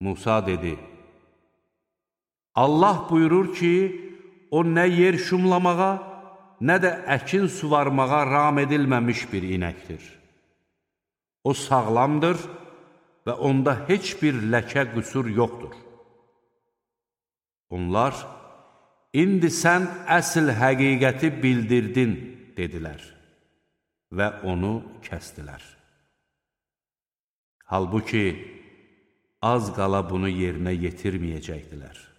Musa dedi, Allah buyurur ki, o nə yer şumlamağa, nə də əkin suvarmağa ram edilməmiş bir inəkdir. O sağlamdır və onda heç bir ləkə qüsur yoxdur. Onlar, indi sən əsl həqiqəti bildirdin, dedilər və onu kəsdilər. Halbuki, az qala bunu yerinə yetirməyəcəkdilər.